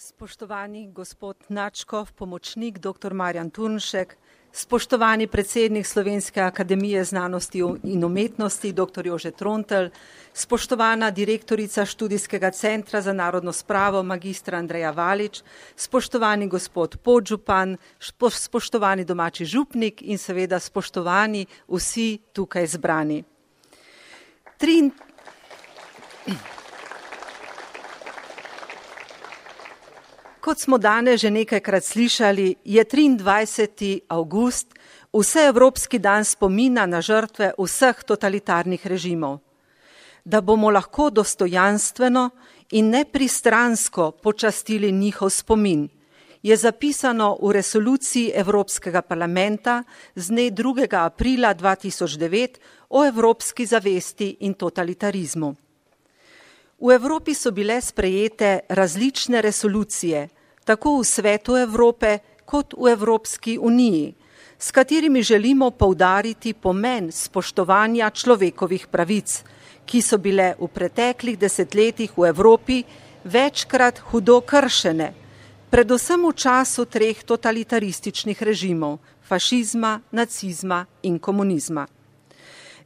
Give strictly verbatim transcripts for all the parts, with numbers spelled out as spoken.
Spoštovani gospod Načkov, pomočnik doktor Marjan Turnšek, spoštovani predsednik Slovenske akademije znanosti in umetnosti doktor Jože Trontelj, spoštovana direktorica Študijskega centra za narodno spravo magistra Andreja Valič, spoštovani gospod podžupan, spoštovani domači župnik in seveda spoštovani vsi tukaj zbrani. Trin... Kot smo danes že nekajkrat slišali, je triindvajseti avgust vseevropski dan spomina na žrtve vseh totalitarnih režimov. Da bomo lahko dostojanstveno in nepristransko počastili njihov spomin, je zapisano v resoluciji Evropskega parlamenta z dne drugega aprila dva tisoč devet o evropski zavesti in totalitarizmu. V Evropi so bile sprejete različne resolucije, tako v Svetu Evrope kot v Evropski uniji, s katerimi želimo poudariti pomen spoštovanja človekovih pravic, ki so bile v preteklih desetletjih v Evropi večkrat hudo kršene, predvsem v času treh totalitarističnih režimov, fašizma, nacizma in komunizma.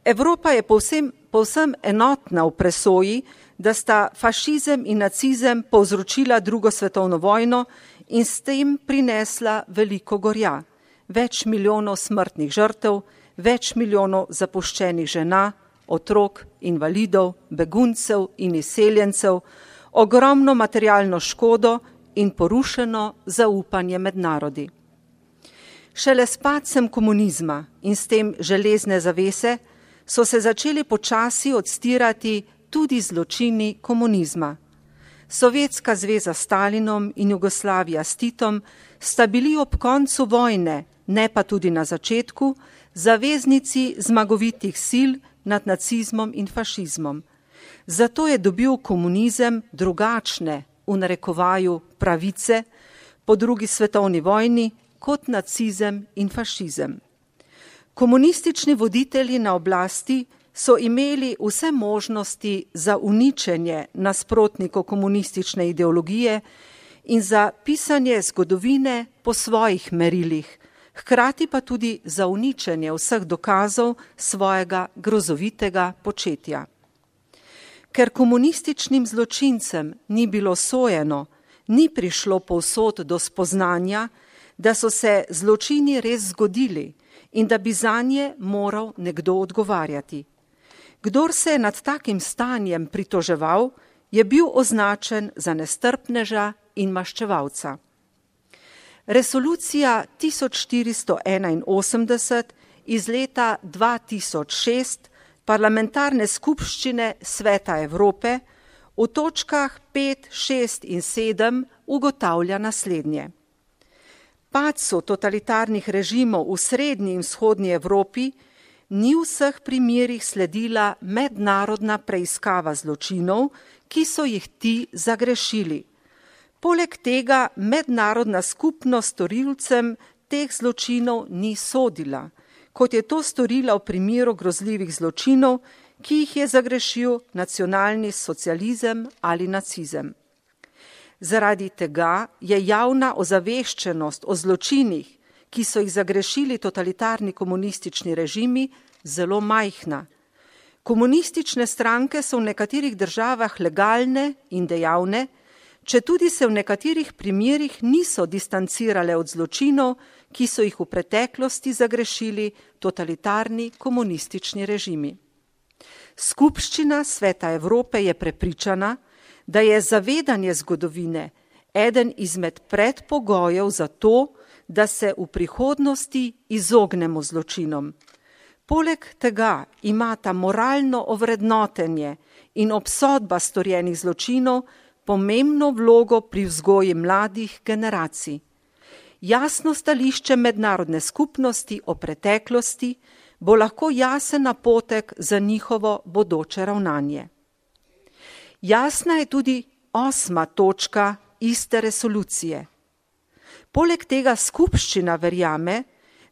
Evropa je povsem, povsem enotna v presoji, da sta fašizem in nacizem povzročila drugo svetovno vojno in s tem prinesla veliko gorja, več milijonov smrtnih žrtev, več milijonov zapuščenih žena, otrok, invalidov, beguncev in izseljencev, ogromno materialno škodo in porušeno zaupanje med narodi. Šele s padcem komunizma in s tem železne zavese so se začeli počasi odstirati tudi zločini komunizma. Sovjetska zveza s Stalinom in Jugoslavija s Titom sta bili ob koncu vojne, ne pa tudi na začetku, zaveznici zmagovitih sil nad nacizmom in fašizmom. Zato je dobil komunizem drugačne, v narekovaju, pravice po drugi svetovni vojni kot nacizem in fašizem. Komunistični voditelji na oblasti so imeli vse možnosti za uničenje nasprotnikov komunistične ideologije in za pisanje zgodovine po svojih merilih, hkrati pa tudi za uničenje vseh dokazov svojega grozovitega početja. Ker komunističnim zločincem ni bilo sojeno, ni prišlo povsod do spoznanja, da so se zločini res zgodili in da bi zanje moral nekdo odgovarjati. Kdor se je nad takim stanjem pritoževal, je bil označen za nestrpneža in maščevalca. Resolucija tisoč štiristo enainosemdeset iz leta dva tisoč šest Parlamentarne skupščine Sveta Evrope v točkah pet, šest in sedem ugotavlja naslednje. Padcu totalitarnih režimov v srednji in vzhodnji Evropi ni v vseh primerih sledila mednarodna preiskava zločinov, ki so jih ti zagrešili. Poleg tega mednarodna skupnost storilcem teh zločinov ni sodila, kot je to storila v primeru grozljivih zločinov, ki jih je zagrešil nacionalni socializem ali nacizem. Zaradi tega je javna ozaveščenost o zločinih, ki so jih zagrešili totalitarni komunistični režimi, zelo majhna. Komunistične stranke so v nekaterih državah legalne in dejavne, četudi se v nekaterih primerih niso distancirale od zločinov, ki so jih v preteklosti zagrešili totalitarni komunistični režimi. Skupščina Sveta Evrope je prepričana, da je zavedanje zgodovine eden izmed predpogojev za to, da se v prihodnosti izognemo zločinom. Poleg tega imata moralno ovrednotenje in obsodba storjenih zločinov pomembno vlogo pri vzgoji mladih generacij. Jasno stališče mednarodne skupnosti o preteklosti bo lahko jasen napotek za njihovo bodoče ravnanje. Jasna je tudi osma točka iste resolucije. Poleg tega skupščina verjame,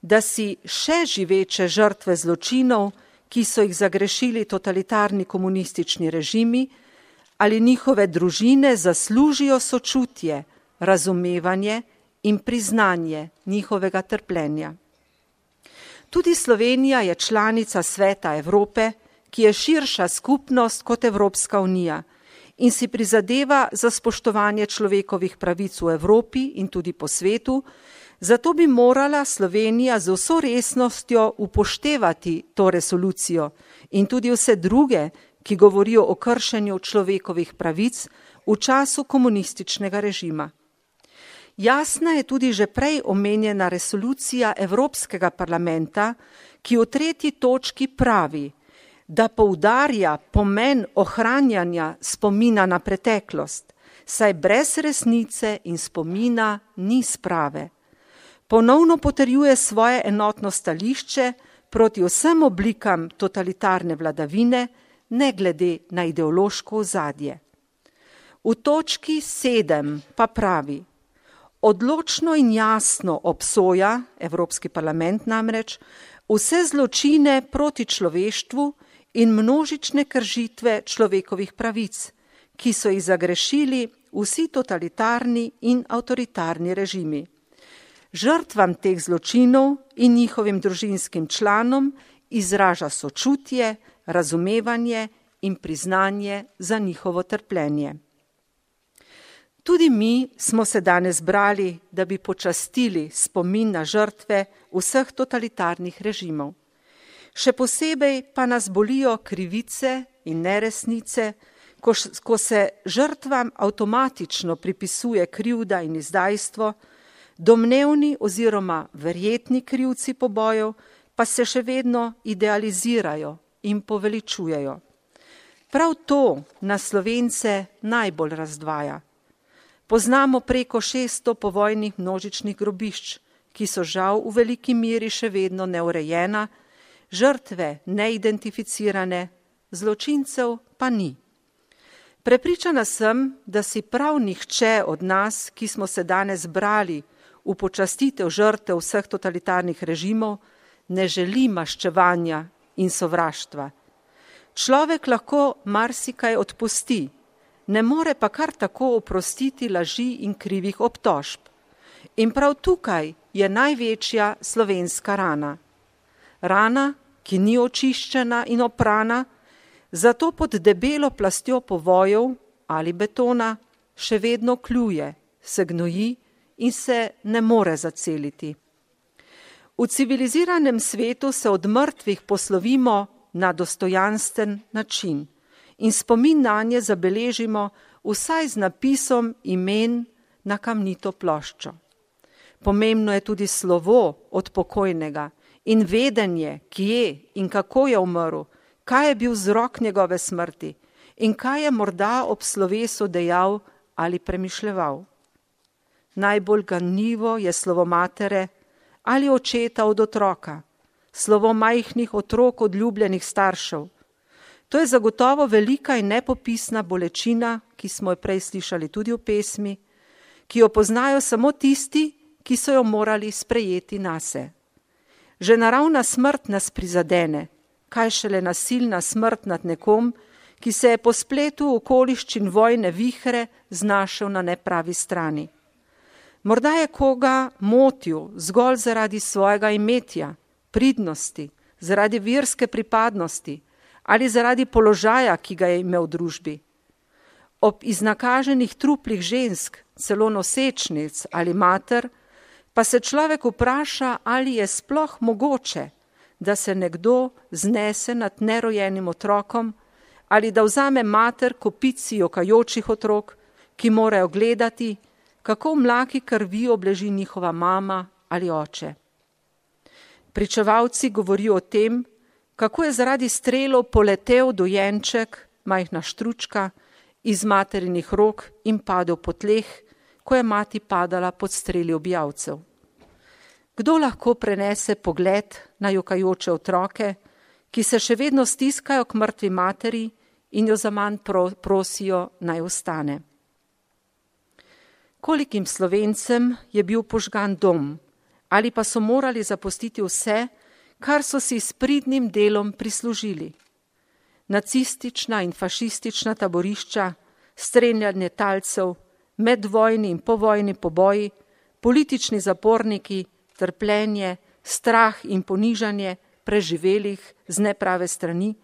da si še živeče žrtve zločinov, ki so jih zagrešili totalitarni komunistični režimi, ali njihove družine zaslužijo sočutje, razumevanje in priznanje njihovega trpljenja. Tudi Slovenija je članica Sveta Evrope, ki je širša skupnost kot Evropska unija in si prizadeva za spoštovanje človekovih pravic v Evropi in tudi po svetu, zato bi morala Slovenija z vso resnostjo upoštevati to resolucijo in tudi vse druge, ki govorijo o kršenju človekovih pravic v času komunističnega režima. Jasna je tudi že prej omenjena resolucija Evropskega parlamenta, ki v tretji točki pravi, da poudarja pomen ohranjanja spomina na preteklost, saj brez resnice in spomina ni sprave. Ponovno potrjuje svoje enotno stališče proti vsem oblikam totalitarne vladavine, ne glede na ideološko ozadje. V točki sedem pa pravi, odločno in jasno obsoja, Evropski parlament namreč, vse zločine proti človeštvu in množične kršitve človekovih pravic, ki so jih zagrešili vsi totalitarni in avtoritarni režimi. Žrtvam teh zločinov in njihovim družinskim članom izraža sočutje, razumevanje in priznanje za njihovo trpljenje. Tudi mi smo se danes zbrali, da bi počastili spomin na žrtve vseh totalitarnih režimov. Še posebej pa nas bolijo krivice in neresnice, ko, ko se žrtvam avtomatično pripisuje krivda in izdajstvo, domnevni oziroma verjetni krivci pobojev pa se še vedno idealizirajo in poveličujejo. Prav to nas Slovence najbolj razdvaja. Poznamo preko šeststo povojnih množičnih grobišč, ki so žal v veliki meri še vedno neurejena, žrtve neidentificirane, zločincev pa ni. Prepričana sem, da si prav nihče od nas, ki smo se danes zbrali v počastitev žrtev vseh totalitarnih režimov, ne želi maščevanja in sovraštva. Človek lahko marsikaj odpusti, ne more pa kar tako oprostiti laži in krivih obtožb. In prav tukaj je največja slovenska rana. Rana, ki ni očiščena in oprana, zato pod debelo plastjo povojev ali betona še vedno kljuje, se gnoji in se ne more zaceliti. V civiliziranem svetu se od mrtvih poslovimo na dostojansten način in spomin nanje zabeležimo vsaj z napisom imen na kamnito ploščo. Pomembno je tudi slovo od pokojnega in vedenje, kje in kako je umrl, kaj je bil vzrok njegove smrti in kaj je morda ob slovesu dejal ali premišljeval. Najbolj ganljivo je slovo matere ali očeta od otroka, slovo majhnih otrok od ljubljenih staršev. To je zagotovo velika in nepopisna bolečina, ki smo jo prej slišali tudi v pesmi, ki jo poznajo samo tisti, ki so jo morali sprejeti nase. Že naravna smrt nas prizadene, kaj šele nasilna smrt nad nekom, ki se je po spletu okoliščin vojne vihre znašel na nepravi strani. Morda je koga motil zgolj zaradi svojega imetja, pridnosti, zaradi verske pripadnosti ali zaradi položaja, ki ga je imel v družbi. Ob iznakaženih truplih žensk, celo nosečnic ali mater, pa se človek vpraša, ali je sploh mogoče, da se nekdo znese nad nerojenim otrokom ali da vzame mater kopici jokajočih otrok, ki morajo gledati, kako v mlaki krvi obleži njihova mama ali oče. Pričevalci govorijo o tem, kako je zaradi strelov poletel dojenček, majhna štručka, iz materinih rok in padel po tleh, ko je mati padala pod streli objavcev. Kdo lahko prenese pogled na jokajoče otroke, ki se še vedno stiskajo k mrtvi materi in jo zaman prosijo naj ostane? Kolikim Slovencem je bil požgan dom, ali pa so morali zapustiti vse, kar so si s pridnim delom prislužili. Nacistična in fašistična taborišča, streljanje talcev, medvojni in povojni poboji, politični zaporniki, trpljenje, strah in ponižanje preživelih z neprave strani,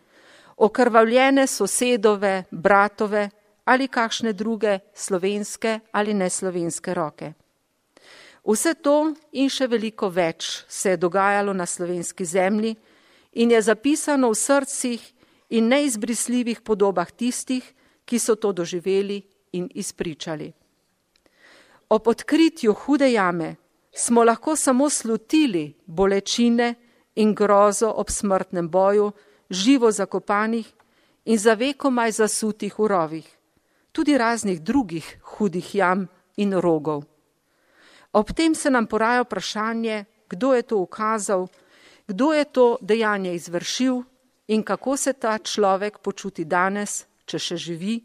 okrvavljene sosedove, bratove ali kakšne druge slovenske ali neslovenske roke. Vse to in še veliko več se je dogajalo na slovenski zemlji in je zapisano v srcih in neizbrisljivih podobah tistih, ki so to doživeli in izpričali. Ob odkritju hude jame smo lahko samo slutili bolečine in grozo ob smrtnem boju, živo zakopanih in za vekomaj zasutih v rovih, tudi raznih drugih hudih jam in rogov. Ob tem se nam poraja vprašanje, kdo je to ukazal, kdo je to dejanje izvršil in kako se ta človek počuti danes, če še živi,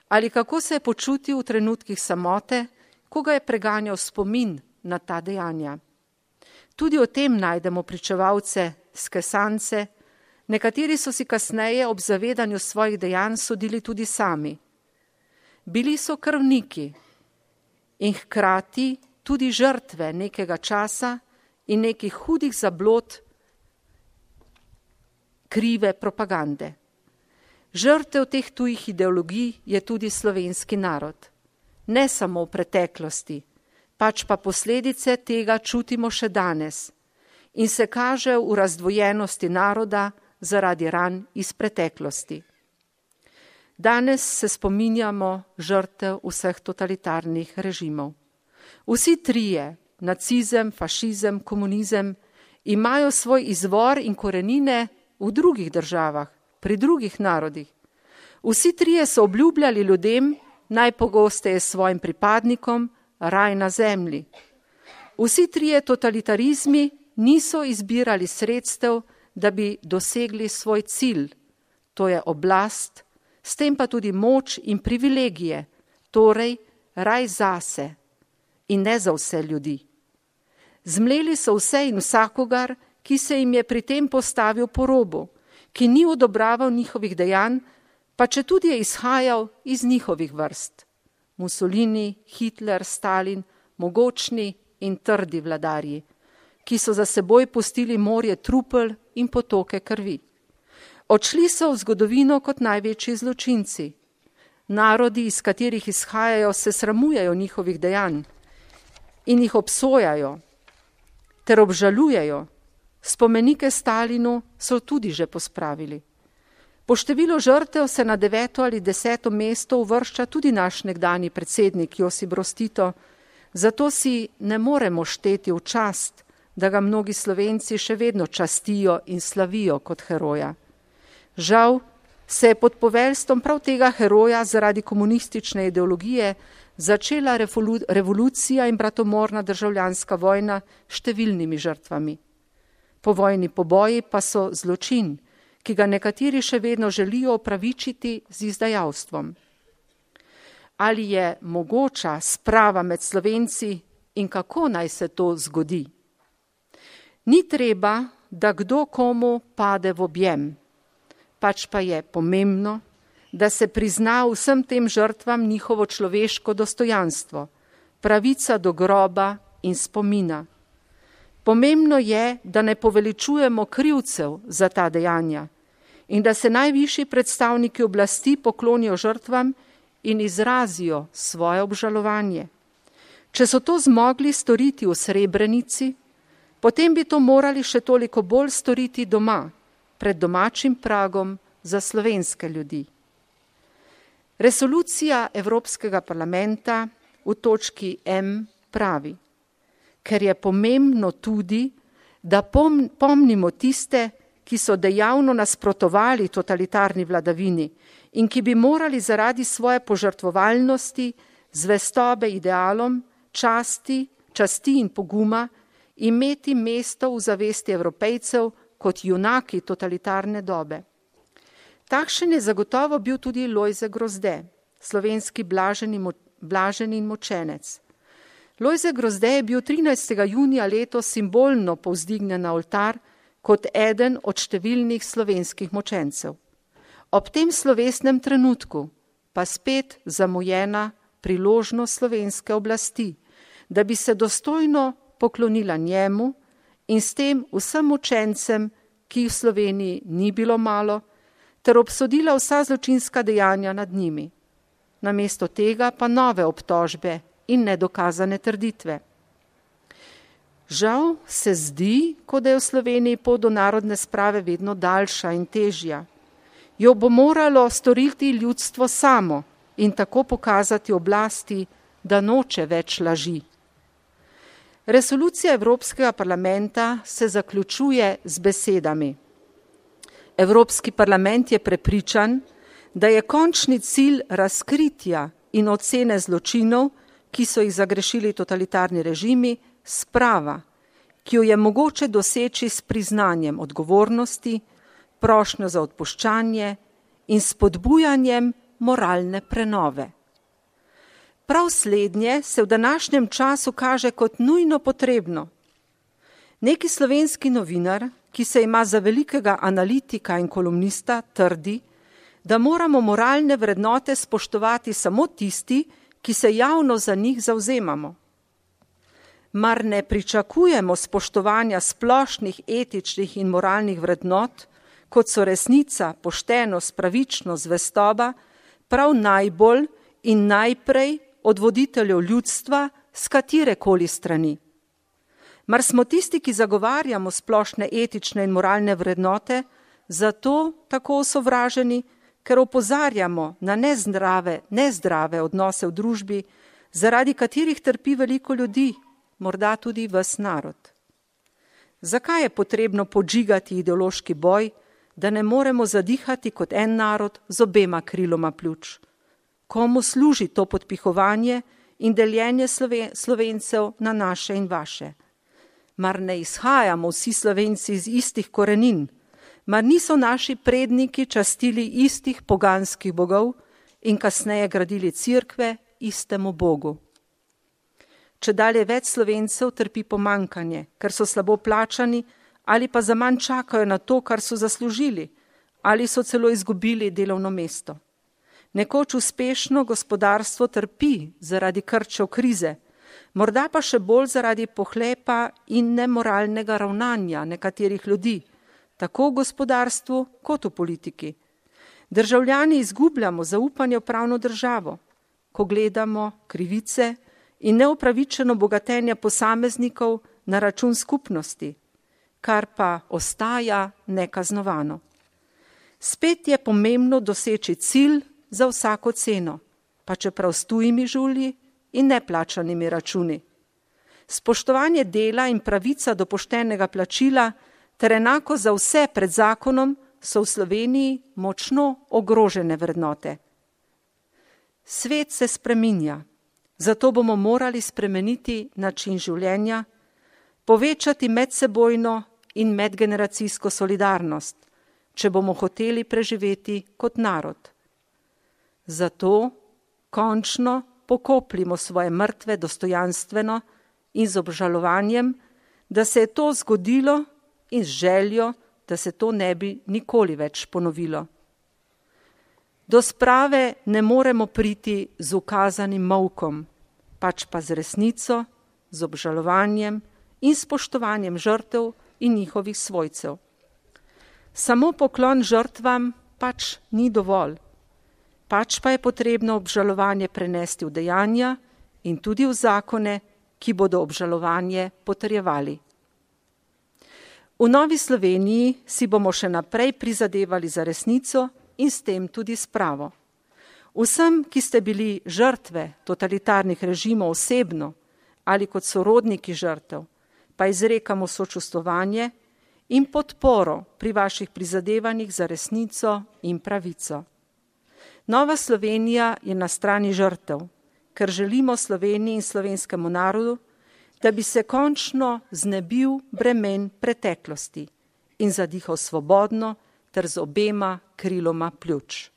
ali kako se je počutil v trenutkih samote, ko ga je preganjal spomin na ta dejanja. Tudi o tem najdemo pričevalce skesance, nekateri so si kasneje ob zavedanju svojih dejanj sodili tudi sami. Bili so krvniki in hkrati tudi žrtve nekega časa in nekih hudih zablod krive propagande. Žrtev teh tujih ideologij je tudi slovenski narod. Ne samo v preteklosti, pač pa posledice tega čutimo še danes in se kaže v razdvojenosti naroda zaradi ran iz preteklosti. Danes se spominjamo žrtev vseh totalitarnih režimov. Vsi trije, nacizem, fašizem, komunizem, imajo svoj izvor in korenine v drugih državah, pri drugih narodih. Vsi trije so obljubljali ljudem, najpogosteje svojim pripadnikom, raj na zemlji. Vsi trije totalitarizmi niso izbirali sredstev, da bi dosegli svoj cilj, to je oblast, s tem pa tudi moč in privilegije, torej raj zase in ne za vse ljudi. Zmleli so vse in vsakogar, ki se jim je pri tem postavil po robu, ki ni odobraval njihovih dejanj, pa če tudi je izhajal iz njihovih vrst. Mussolini, Hitler, Stalin, mogočni in trdi vladarji, ki so za seboj pustili morje trupel in potoke krvi. Odšli so v zgodovino kot največji zločinci. Narodi, iz katerih izhajajo, se sramujejo njihovih dejanj in jih obsojajo ter obžalujejo. Spomenike Stalinu so tudi že pospravili. Po številu žrtev se na deveto ali deseto mesto uvršča tudi naš nekdanji predsednik Josip Broz Tito, zato si ne moremo šteti v čast, da ga mnogi Slovenci še vedno častijo in slavijo kot heroja. Žal se je pod poveljstvom prav tega heroja zaradi komunistične ideologije začela revolucija in bratomorna državljanska vojna s številnimi žrtvami. Povojni poboji pa so zločin, ki ga nekateri še vedno želijo opravičiti z izdajalstvom. Ali je mogoča sprava med Slovenci in kako naj se to zgodi? Ni treba, da kdo komu pade v objem, pač pa je pomembno, da se prizna vsem tem žrtvam njihovo človeško dostojanstvo, pravica do groba in spomina. Pomembno je, da ne poveličujemo krivcev za ta dejanja in da se najvišji predstavniki oblasti poklonijo žrtvam in izrazijo svoje obžalovanje. Če so to zmogli storiti v Srebrenici, potem bi to morali še toliko bolj storiti doma, pred domačim pragom za slovenske ljudi. Resolucija Evropskega parlamenta v točki M pravi: ker je pomembno tudi, da pom- pomnimo tiste, ki so dejavno nasprotovali totalitarni vladavini in ki bi morali zaradi svoje požrtvovalnosti, zvestobe idealom, časti, časti in poguma imeti mesto v zavesti Evropejcev kot junaki totalitarne dobe. Takšen je zagotovo bil tudi Lojze Grozde, slovenski blaženi, mo- blaženi in močenec. Lojze Grozde je bil trinajstega junija letos simbolno povzdignjen na oltar kot eden od številnih slovenskih močencev. Ob tem slovesnem trenutku pa spet zamujena priložnost slovenske oblasti, da bi se dostojno poklonila njemu in s tem vsem učencem, ki jih v Sloveniji ni bilo malo, ter obsodila vsa zločinska dejanja nad njimi. Namesto tega pa nove obtožbe in nedokazane trditve. Žal se zdi, kot da je v Sloveniji pot do narodne sprave vedno daljša in težja. Jo bo moralo storiti ljudstvo samo in tako pokazati oblasti, da noče več laži. Resolucija Evropskega parlamenta se zaključuje z besedami. Evropski parlament je prepričan, da je končni cilj razkritja in ocene zločinov, ki so jih zagrešili totalitarni režimi, sprava, ki jo je mogoče doseči s priznanjem odgovornosti, prošnjo za odpuščanje in spodbujanjem moralne prenove. Prav slednje se v današnjem času kaže kot nujno potrebno. Neki slovenski novinar, ki se ima za velikega analitika in kolumnista, trdi, da moramo moralne vrednote spoštovati samo tisti, ki se javno za njih zavzemamo. Mar ne pričakujemo spoštovanja splošnih etičnih in moralnih vrednot, kot so resnica, poštenost, pravičnost, zvestoba, prav najbolj in najprej od voditeljev ljudstva s katerekoli strani. Mar smo tisti, ki zagovarjamo splošne etične in moralne vrednote, zato tako osovraženi, ker opozarjamo na nezdrave, nezdrave odnose v družbi, zaradi katerih trpi veliko ljudi, morda tudi ves narod. Zakaj je potrebno podžigati ideološki boj, da ne moremo zadihati kot en narod z obema kriloma pljuč? Komu služi to podpihovanje in deljenje Slovencev na naše in vaše? Mar ne izhajamo vsi Slovenci iz istih korenin? Mar niso naši predniki častili istih poganskih bogov in kasneje gradili cerkve istemu Bogu? Čedalje več Slovencev trpi pomankanje, ker so slabo plačani ali pa zaman čakajo na to, kar so zaslužili, ali so celo izgubili delovno mesto. Nekoč uspešno gospodarstvo trpi zaradi krčev krize, morda pa še bolj zaradi pohlepa in nemoralnega ravnanja nekaterih ljudi, tako v gospodarstvu kot v politiki. Državljani izgubljamo zaupanje v pravno državo, ko gledamo krivice in neupravičeno bogatenje posameznikov na račun skupnosti, kar pa ostaja nekaznovano. Spet je pomembno doseči cilj za vsako ceno, pa čeprav s tujimi žulji in neplačanimi računi. Spoštovanje dela in pravica do poštenega plačila ter enako za vse pred zakonom so v Sloveniji močno ogrožene vrednote. Svet se spreminja, zato bomo morali spremeniti način življenja, povečati medsebojno in medgeneracijsko solidarnost, če bomo hoteli preživeti kot narod. Zato končno pokopljimo svoje mrtve dostojanstveno in z obžalovanjem, da se je to zgodilo in z željo, da se to ne bi nikoli več ponovilo. Do sprave ne moremo priti z ukazanim molkom, pač pa z resnico, z obžalovanjem in spoštovanjem žrtev in njihovih svojcev. Samo poklon žrtvam pač ni dovolj, pač pa je potrebno obžalovanje prenesti v dejanja in tudi v zakone, ki bodo obžalovanje potrjevali. V Novi Sloveniji si bomo še naprej prizadevali za resnico in s tem tudi spravo. Vsem, ki ste bili žrtve totalitarnih režimov osebno ali kot sorodniki žrtev, pa izrekamo sočustvovanje in podporo pri vaših prizadevanjih za resnico in pravico. Nova Slovenija je na strani žrtev, ker želimo Sloveniji in slovenskemu narodu, da bi se končno znebil bremen preteklosti in zadihal svobodno ter z obema kriloma pljuč.